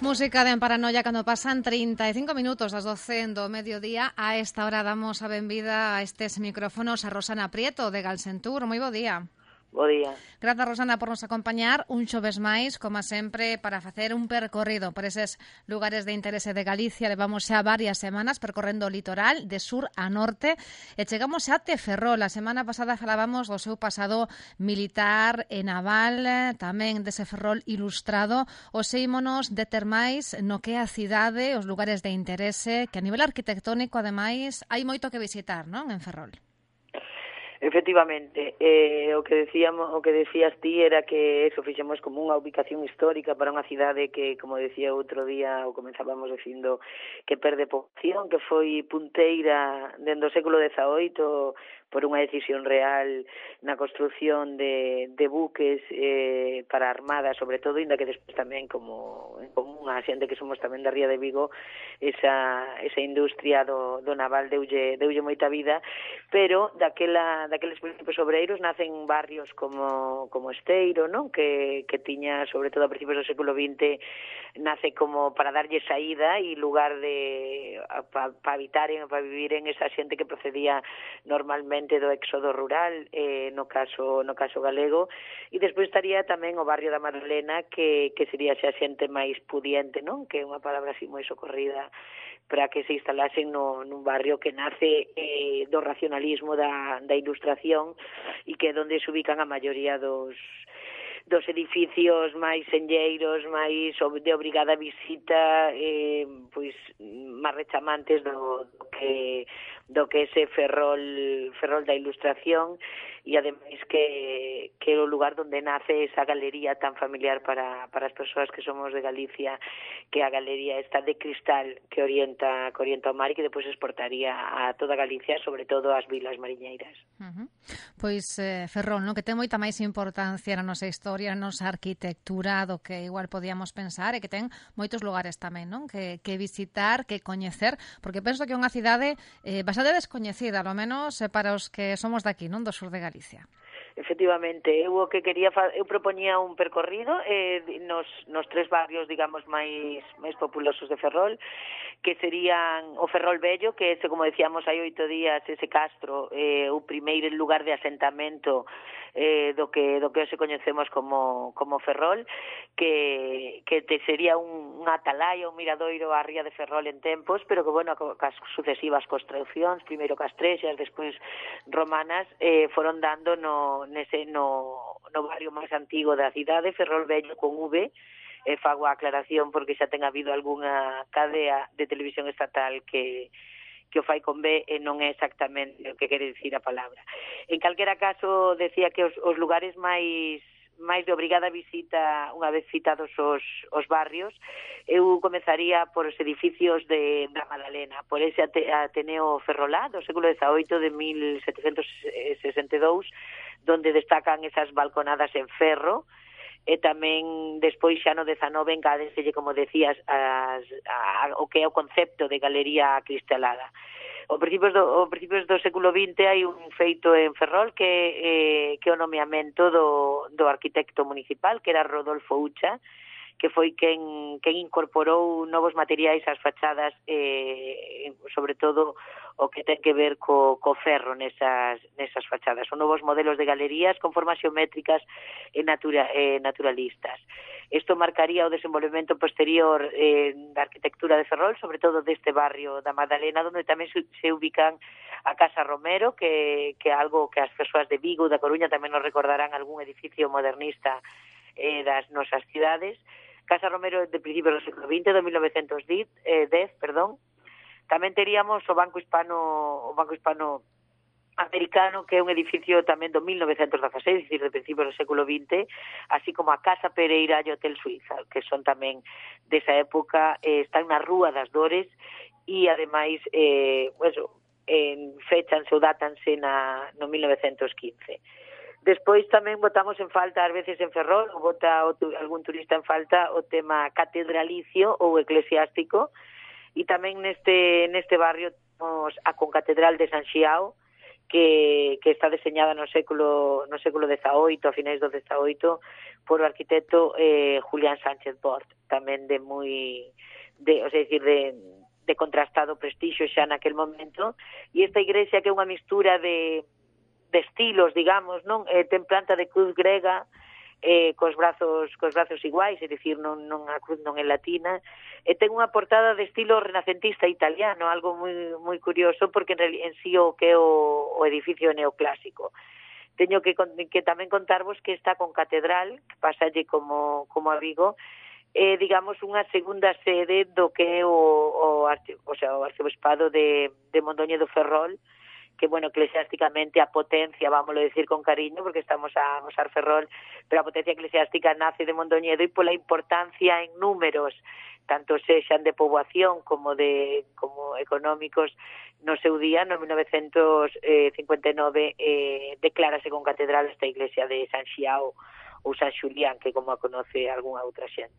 Música de Paranoia cando pasan 35 minutos das 12 do mediodía. A esta hora damos a benvida a estes micrófonos a Rosana Prieto de Galsentur. Moi bo día. Bo día. Grazas, Rosana, por nos acompañar un xoves máis, como sempre, para facer un percorrido por eses lugares de interese de Galicia. Levamos xa varias semanas percorrendo o litoral de sur a norte e chegamos a Ferrol. A semana pasada falábamos do seu pasado militar e naval, tamén dese Ferrol ilustrado. Os ímonos deter máis no que é a cidade, os lugares de interese, que a nivel arquitectónico, ademais, hai moito que visitar, non, en Ferrol? Efectivamente, o que decías ti era que eso fixemos como unha ubicación histórica para unha cidade que, como decía outro día, ou comenzábamos dicindo, que perde poboación, que foi punteira dende o século XVIII por unha decisión real na construción de buques para a Armada, sobre todo, inda que despois tamén, como en común a xente que somos tamén da Ría de Vigo, esa industria do naval deulle moita vida, pero daqueles principios obreiros nacen barrios como Esteiro, non? Que tiña, sobre todo a principios do século XX, nace como para darlle saída e lugar para habitar e para vivir en esa xente que procedía normalmente do éxodo rural, no caso galego, e despois estaría tamén o barrio da Madalena, que sería xa xente máis pudiente, non? Que é unha palabra así moi socorrida para que se instalasen nun barrio que nace do racionalismo da ilustración e que é onde se ubican a maioría dos edificios máis senlleiros, máis de obrigada visita, pois máis rechamantes do que ese Ferrol da ilustración, e ademais que é o lugar onde nace esa galería tan familiar para as persoas que somos de Galicia, que a galería está de cristal que orienta o mar e que depois exportaría a toda Galicia, sobre todo ás vilas mariñeiras. Pois Ferrol, non? Que ten moita máis importancia na nosa historia, na nosa arquitectura, do que igual podíamos pensar, e que ten moitos lugares tamén, non? Que visitar, que coñecer, porque penso que é unha cidade bastante descoñecida, ao menos para os que somos daqui, non? Do sur de Galicia. Efectivamente, eu propoñía un percorrido nos tres barrios, digamos, máis populosos de Ferrol, que serían o Ferrol Vello, que ese, como decíamos hai 8 días, ese castro, o primeiro lugar de asentamento do que hoxe coñecemos como Ferrol, que sería unha atalaya, un miradoiro á ría de Ferrol en tempos, pero que, bueno, cas sucesivas construcións, primeiro castrexas, despois romanas, foron dando no barrio máis antigo da cidade, Ferrol Vello con V. Fago a aclaración porque xa ten habido algunha cadea de televisión estatal que o fai con B e non é exactamente o que quere dicir a palabra. En calquera caso, decía que os lugares máis de obrigada visita, unha vez citados os barrios, eu comenzaría por os edificios da Madalena, por ese Ateneo Ferrolá do século XVIII, de 1762, donde destacan esas balconadas en ferro, e tamén despois xa no 19 engádeselle, como decías, o que é o concepto de galería cristalada. Ao principios do século XX hai un feito en Ferrol que o nomeamento do arquitecto municipal, que era Rodolfo Ucha, que foi quen incorporou novos materiais ás fachadas, sobre todo o que ten que ver co ferro nesas fachadas. Son novos modelos de galerías con formas xeométricas e naturalistas. Isto marcaría o desenvolvemento posterior da arquitectura de Ferrol, sobre todo deste barrio da Madalena, onde tamén se ubican a Casa Romero, que é algo que as persoas de Vigo, da Coruña, tamén nos recordarán algún edificio modernista das nosas cidades. Casa Romero de principios do século XX, de 1910, Tamén teríamos o Banco Hispano Americano, que é un edificio tamén do 1916, dicir, de principios do século XX, así como a Casa Pereira e o Hotel Suiza, que son tamén desa época, están na Rúa das Dores, e ademais fechanse ou dátanse no 1915. Despois tamén botamos en falta, ás veces en Ferrol, ou bota algún turista en falta, o tema catedralicio ou eclesiástico, e tamén neste barrio temos a Concatedral de San Xiao, que está deseñada no século XVIII, a finais do XVIII, por o arquitecto Julián Sánchez Bort, tamén de contrastado prestixio xa naquel momento, e esta igrexa que é unha mistura de estilos, digamos, non? Ten planta de cruz grega, cos brazos iguais, é dicir, non a cruz non é latina, e ten unha portada de estilo renacentista italiano, algo moi curioso, porque en sí o que é o edificio neoclásico. Teño que tamén contarvos que está con catedral, que pasalle como a Vigo, digamos, unha segunda sede do que é o arcebispado de Mondoñedo Ferrol, que, bueno, eclesiásticamente a potencia, vámoslo decir con cariño, porque estamos a usar Ferrol, pero a potencia eclesiástica nace de Mondoñedo e pola importancia en números, tanto sexan de poboación como económicos, no seu día, no 1959, declárase con catedral esta iglesia de San Xiao ou San Xulián, que como a conoce algunha outra xente.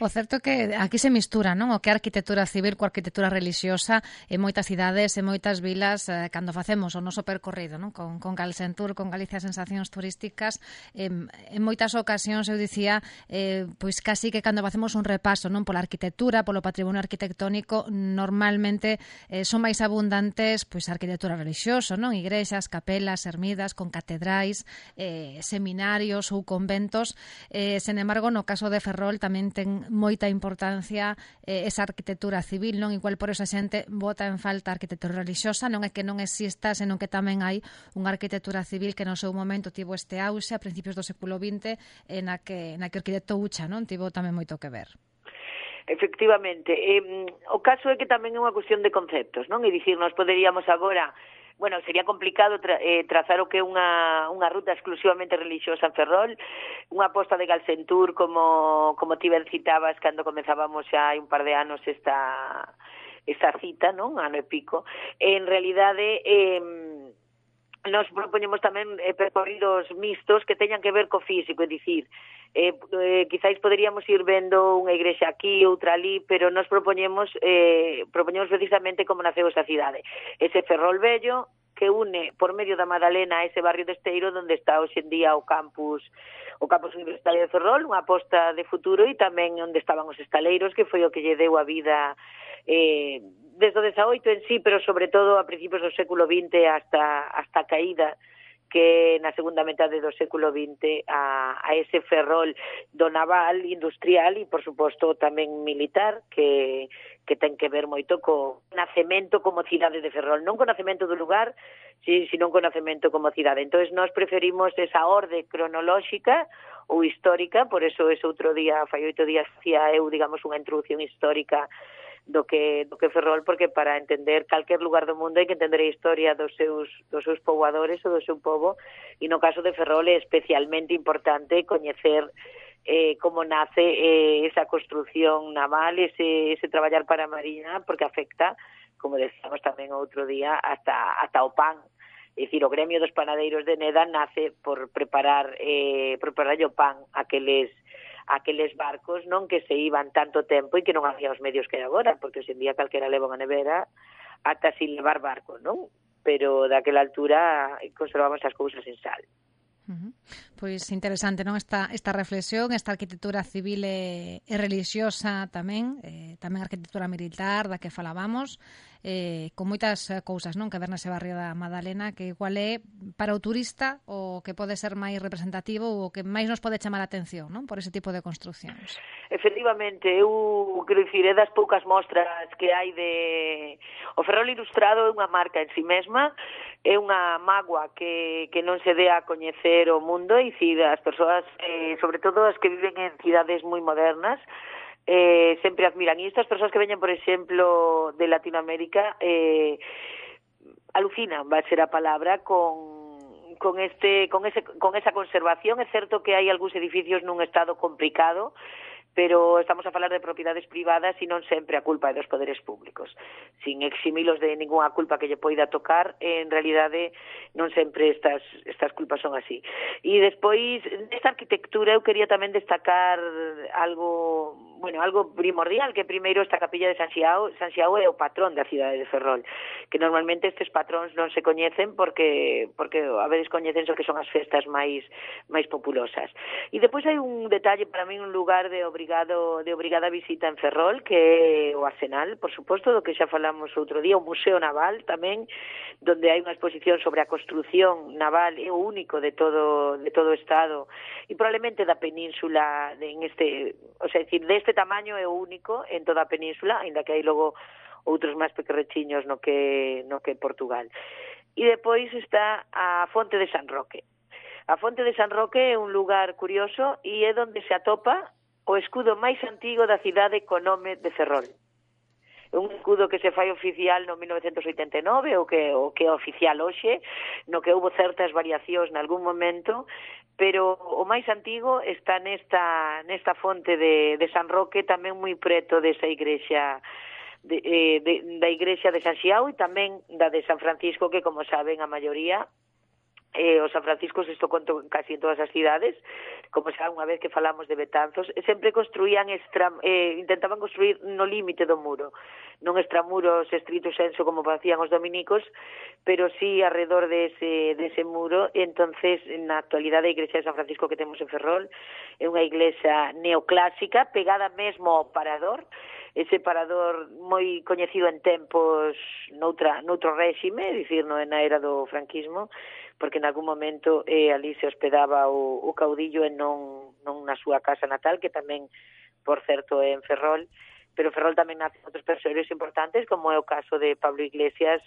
O certo é que aquí se mistura, non? O que é arquitectura civil coa arquitectura religiosa en moitas cidades, en moitas vilas, cando facemos o noso percorrido, non? Con Galsentur, con Galicia Sensacións Turísticas, en moitas ocasións, eu dicía, pois casi que cando facemos un repaso, non? Pola arquitectura, polo patrimonio arquitectónico, normalmente son máis abundantes pois a arquitectura religiosa, non? Igrexas, capelas, ermidas, con catedrais, seminarios ou conventos, sen embargo, no caso de Ferrol tamén ten moita importancia esa arquitectura civil, non? Igual por esa xente bota en falta a arquitectura religiosa, non é que non exista, senón que tamén hai unha arquitectura civil que no seu momento tivo este auxe a principios do século XX na que o arquitecto Ucha, non? Tivo tamén moito que ver. Efectivamente. O caso é que tamén é unha cuestión de conceptos, non? E dicir, nos poderíamos agora... Bueno, sería complicado trazar o que é unha ruta exclusivamente religiosa en Ferrol, unha aposta de Galsentur, como ti ben citabas cando comenzábamos xa hai un par de anos esta cita, non? Ano e pico. En realidade, nos propoñemos tamén percorridos mixtos que teñan que ver co físico, é dicir, quizáis poderíamos ir vendo unha igrexa aquí, outra ali, pero nos propoñemos precisamente como naceu esa cidade. Ese Ferrol vello que une por medio da Madalena a ese barrio de Esteiro onde está hoxe en día o campus universitario de Ferrol, unha aposta de futuro, e tamén onde estaban os estaleiros, que foi o que lle deu a vida desde o 18 en sí, pero sobre todo a principios do século XX hasta a caída que na segunda metade do século XX a ese Ferrol do naval, industrial e, por suposto, tamén militar, que ten que ver moito co nacemento como cidade de Ferrol, non co nacemento do lugar, sino co nacemento como cidade. Entón, nós preferimos esa orde cronolóxica ou histórica, por eso ese outro día, fai 8 días, hacía eu, digamos, unha introducción histórica do que Ferrol, porque para entender calquer lugar do mundo hai que entender a historia dos seus poboadores ou do seu pobo, e no caso de Ferrol é especialmente importante coñecer como nace esa construción naval, ese traballar para a Mariña, porque afecta, como decíamos tamén outro día, hasta o pan. É dicir, o gremio dos panadeiros de Neda nace por preparar o pan aqueles barcos, non, que se iban tanto tempo e que non había os medios que hai agora, porque hoxe en día calquera leva unha nevera ata sin levar barco, non? Pero daquela altura conservamos as cousas en sal. Pois interesante, non, esta reflexión, esta arquitectura civil e religiosa tamén arquitectura militar da que falábamos, con moitas cousas, non, que ver nese barrio da Madalena, que igual é para o turista o que pode ser máis representativo ou o que máis nos pode chamar a atención, non, por ese tipo de construcións. Efectivamente, eu quero dicir, é das poucas mostras que hai o Ferrol Ilustrado é unha marca en si mesma, é unha mágoa que non se dé a coñecer o mundo, e dicir, as persoas, sobre todo as que viven en cidades moi modernas, sempre admiran. E estas persoas que veñen, por exemplo, de Latinoamérica, alucinan, va a ser a palabra, con esa conservación. É certo que hai algúns edificios nun estado complicado, pero estamos a falar de propiedades privadas e non sempre a culpa é dos poderes públicos. Sin eximilos de ninguna culpa que lle poida tocar, en realidade non sempre estas culpas son así. E despois, nesta arquitectura, eu quería tamén destacar algo algo primordial, que primeiro esta capilla de San Xiao é o patrón da cidade de Ferrol, que normalmente estes patróns non se coñecen porque a veces coñecense o que son as festas máis populosas. E depois hai un detalle, para mí un lugar de obrigada visita en Ferrol, que é o Arsenal, por suposto, do que xa falamos outro día, o Museo Naval tamén, donde hai unha exposición sobre a construción naval, é o único de todo o Estado, e probablemente da península, deste tamaño é o único en toda a península, aínda que hai logo outros máis pequerrechiños no que Portugal. E depois está a Fonte de San Roque. A Fonte de San Roque é un lugar curioso e é onde se atopa o escudo máis antigo da cidade co nome de Ferrol. É un escudo que se fai oficial no 1989, o que é oficial hoxe, no que houve certas variacións nalgún momento, pero o máis antigo está nesta fonte de San Roque, tamén moi preto desa igrexa da igrexa de San Xiao e tamén da de San Francisco, que como saben a maioría os San Franciscos, isto conto casi en todas as cidades, como xa unha vez que falamos de Betanzos, sempre construían intentaban construir no límite do muro, non extramuros estrito senso como facían os dominicos, pero sí alrededor dese muro. E entonces na actualidade a igrexa de San Francisco que temos en Ferrol é unha iglesia neoclásica pegada mesmo ao parador, ese parador moi coñecido en tempos noutro réxime, dicir, na era do franquismo, porque en algún momento ali se hospedaba o caudillo e non na súa casa natal, que tamén, por certo, é en Ferrol, pero Ferrol tamén nace outros persoeiros importantes, como é o caso de Pablo Iglesias,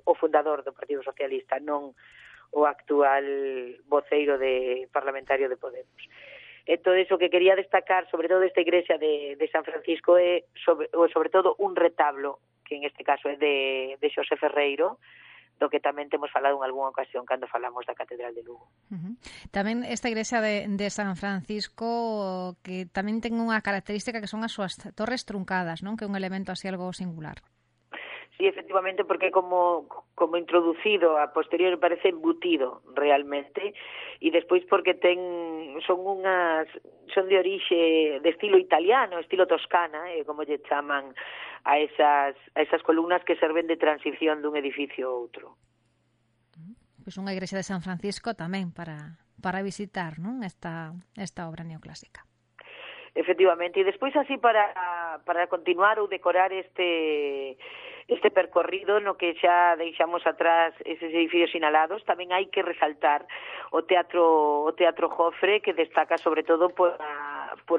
o fundador do Partido Socialista, non o actual voceiro parlamentario de Podemos. Entón, o que quería destacar, sobre todo esta igrexa de San Francisco, é sobre todo un retablo, que en este caso é de Xosé Ferreiro, do que tamén temos falado en algunha ocasión cando falamos da Catedral de Lugo. Tamén esta igrexa de San Francisco, que tamén ten unha característica que son as súas torres truncadas, non? Que é un elemento así algo singular. Sí, efectivamente, porque como introducido, a posterior parece embutido realmente, e despois porque son de orixe de estilo italiano, estilo toscana, como lle chaman a esas columnas que serven de transición dun edificio a outro. Pois unha igrexa de San Francisco tamén para visitar, non? Esta obra neoclásica. Efectivamente, e despois así para continuar ou decorar este percorrido no que xa deixamos atrás eses edificios sinalados, tamén hai que resaltar o Teatro Jofre, que destaca sobre todo por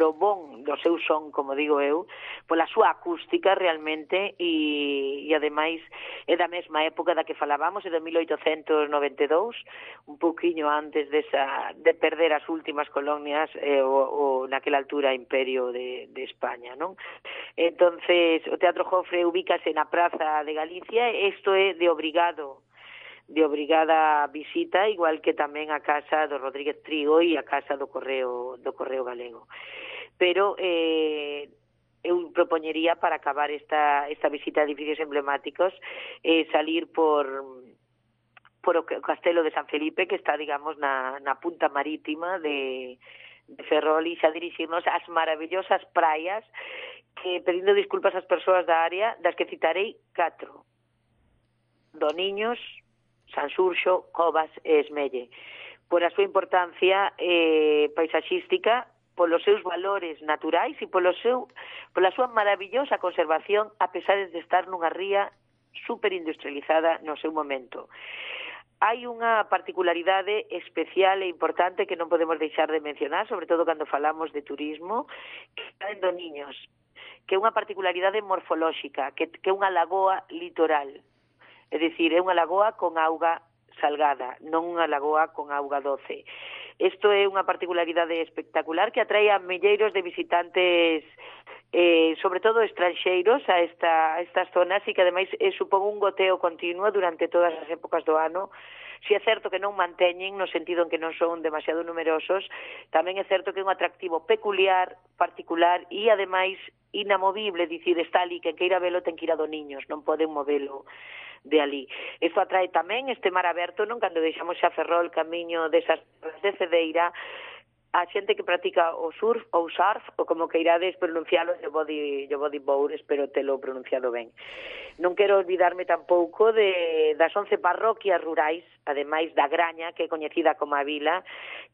o bon do seu son, como digo eu, pola súa acústica realmente, e ademais é da mesma época da que falábamos, é de 1892, un pouquiño antes de perder as últimas colonias o naquela altura Imperio de España, non? Entonces, o Teatro Jofre ubícase na Praza de Galicia, isto é de obrigada visita, igual que tamén a casa do Rodríguez Trigo e a casa do Correo Galego. Pero eu propoñería, para acabar esta visita a edificios emblemáticos, salir por o Castelo de San Felipe, que está, digamos, na punta marítima de Ferrol, e xa dirixirnos ás maravillosas praias, que, pedindo disculpas ás persoas da área, das que citarei 4: Doniños, Sanxurxo, Covas e Esmelle, por a súa importancia paisaxística, polos seus valores naturais e pola súa maravillosa conservación, a pesar de estar nunha ría superindustrializada no seu momento. Hai unha particularidade especial e importante que non podemos deixar de mencionar, sobre todo cando falamos de turismo, que está en Doniños, que é unha particularidade morfolóxica, que é unha lagoa litoral. É dicir, é unha lagoa con auga salgada, non unha lagoa con auga doce. Isto é unha particularidade espectacular que atrae a milleiros de visitantes, sobre todo estranxeiros, a estas zonas, e que ademais supón un goteo continuo durante todas as épocas do ano. Si é certo que non manteñen, no sentido en que non son demasiado numerosos, tamén é certo que é un atractivo peculiar, particular e ademais inamovible, dicir, está ali, quen queira velo ten que ir a Doniños, non poden movelo de ali. Isto atrae tamén este mar aberto, non? Cando deixamos xa Ferrol camiño desas de Cedeira, a xente que practica o surf ou surf, ou como que irades pronuncialo, yo vou dir espero telo pronunciado ben. Non quero olvidarme tampouco das 11 parroquias rurais, ademais da Graña, que é coñecida como a vila,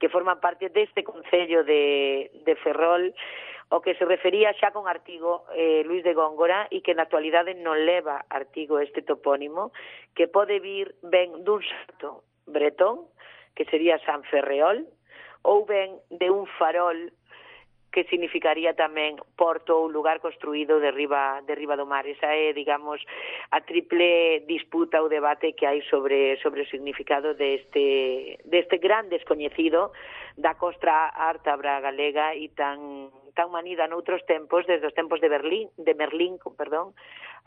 que forman parte deste concello de Ferrol, o que se refería xa con artigo Luis de Góngora, e que na actualidade non leva artigo este topónimo, que pode vir ben dun santo bretón, que sería San Ferreol, ou ben de un farol que significaría tamén porto ou lugar construído de riba do mar. Esa é, digamos, a triple disputa ou debate que hai sobre o significado deste gran descoñecido da costa ártabra galega e tan manida noutros tempos, desde os tempos de Merlín,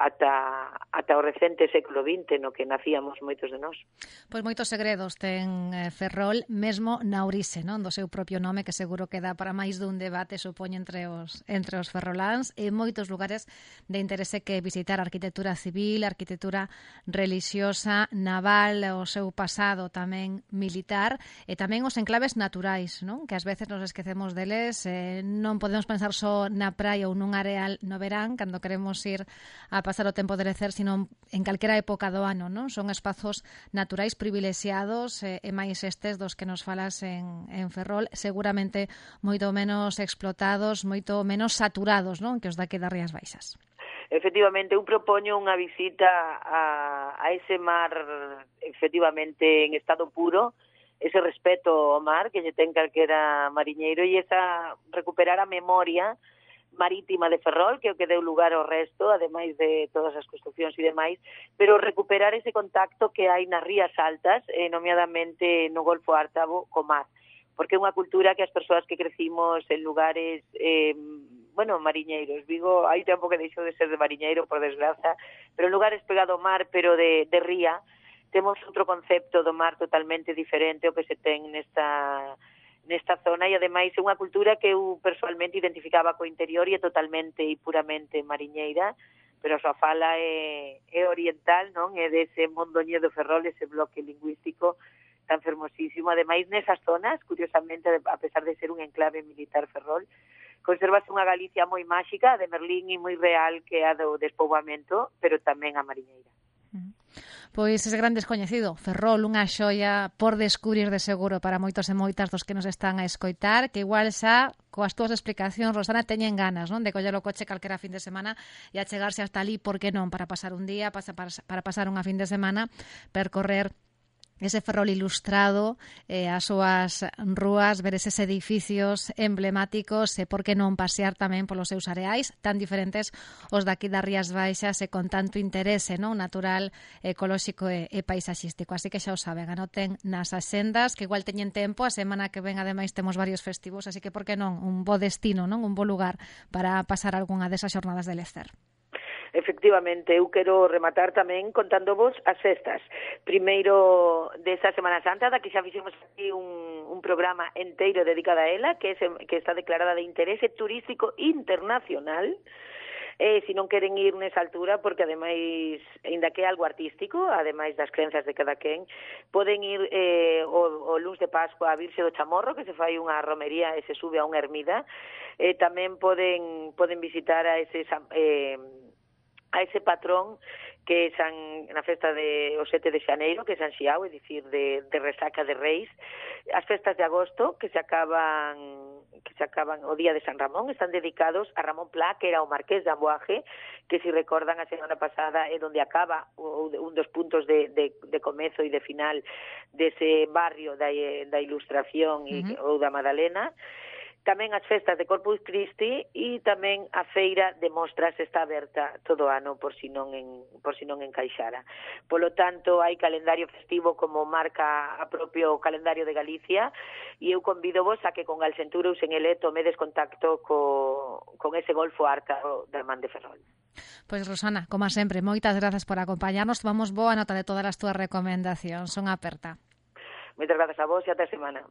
ata o recente século XX, no que nacíamos moitos de nós. Pois moitos segredos ten Ferrol, mesmo na orixe, non, do seu propio nome, que seguro que dá para máis dun debate, supoño, entre os ferroláns, e moitos lugares de interese que visitar: arquitectura civil, arquitectura religiosa, naval, o seu pasado tamén militar, e tamén os enclaves naturais, non, que ás veces nos esquecemos deles. Non podemos pensar só na praia ou nun areal no verán, cando queremos ir a pasar o tempo de lecer, sino en calquera época do ano, non? Son espazos naturais privilexiados, e máis estes dos que nos falas en Ferrol, seguramente moito menos explotados, moito menos saturados, non, que os daqui das Rías Baixas. Efectivamente, eu propoño unha visita a ese mar, efectivamente, en estado puro, ese respeto ao mar que lle ten calquera mariñeiro, e esa recuperar a memoria marítima de Ferrol, que é o que deu lugar ao resto, ademais de todas as construcións e demais, pero recuperar ese contacto que hai nas rías altas, nomeadamente no Golfo Ártabo, co mar, porque é unha cultura que as persoas que crecimos en lugares mariñeiros, Vigo hai tempo que deixou de ser de mariñeiro, por desgraza, pero en lugares pegado ao mar, pero de ría, temos outro concepto do mar totalmente diferente ao que se ten nesta zona, e ademais é unha cultura que eu personalmente identificaba co interior e é totalmente e puramente mariñeira, pero a súa fala é oriental, non? É dese Mondoñedo do Ferrol, ese bloque lingüístico tan fermosísimo. Ademais, nesas zonas, curiosamente, a pesar de ser un enclave militar Ferrol, conservase unha Galicia moi máxica, de Merlín, e moi real, que é a do despoboamento, pero tamén a mariñeira. Pois ese gran descoñecido, Ferrol, unha xoia por descubrir de seguro para moitos e moitas dos que nos están a escoitar, que igual xa coas túas explicacións, Rosana, teñen ganas, non, de coller o coche calquera fin de semana e achegarse hasta ali, por que non, para pasar un día, para pasar unha fin de semana, percorrer ese Ferrol ilustrado, as súas rúas, ver eses edificios emblemáticos, e por que non pasear tamén polos seus areais tan diferentes os daqui das Rías Baixas, e con tanto interese, non, natural, ecolóxico e paisaxístico. Así que xa o saben, anoten nas axendas, que igual teñen tempo, a semana que ven ademais temos varios festivos, así que por que non, un bo destino, non, un bo lugar para pasar algunha desas xornadas de lecer. Efectivamente, eu quero rematar tamén contándovos as festas. Primeiro desa Semana Santa, da que xa fixemos aquí un programa enteiro dedicado a ela, que está declarada de interese turístico internacional. Se non queren ir nesa altura, porque ademais, ainda que é algo artístico, ademais das crenzas de cada quen, poden ir o luns de Pascua a Virxe do Chamorro, que se fai unha romería e se sube a unha ermida. Tamén poden visitar a ese patrón que é na festa o 7 de xaneiro, que é San Xiao, é dicir, de resaca de Reis. As festas de agosto, que se acaban o día de San Ramón, están dedicados a Ramón Pla, que era o marqués de Amboaje, que, se recordan, a semana pasada é onde acaba un dos puntos de comezo e de final dese barrio da Ilustración ou da Madalena. Tamén as festas de Corpus Christi, e tamén a feira de mostras está aberta todo o ano por si non encaixara. Polo tanto, hai calendario festivo como marca a propio calendario de Galicia, e eu convido-vos a que con Galcentura ou sen ele tomedes contacto con ese Golfo Ártabo da Man de Ferrol. Pois, Rosana, como sempre, moitas grazas por acompañarnos. Tomamos boa nota de todas as túas recomendacións. Son aperta. Moitas grazas a vos e ata a semana.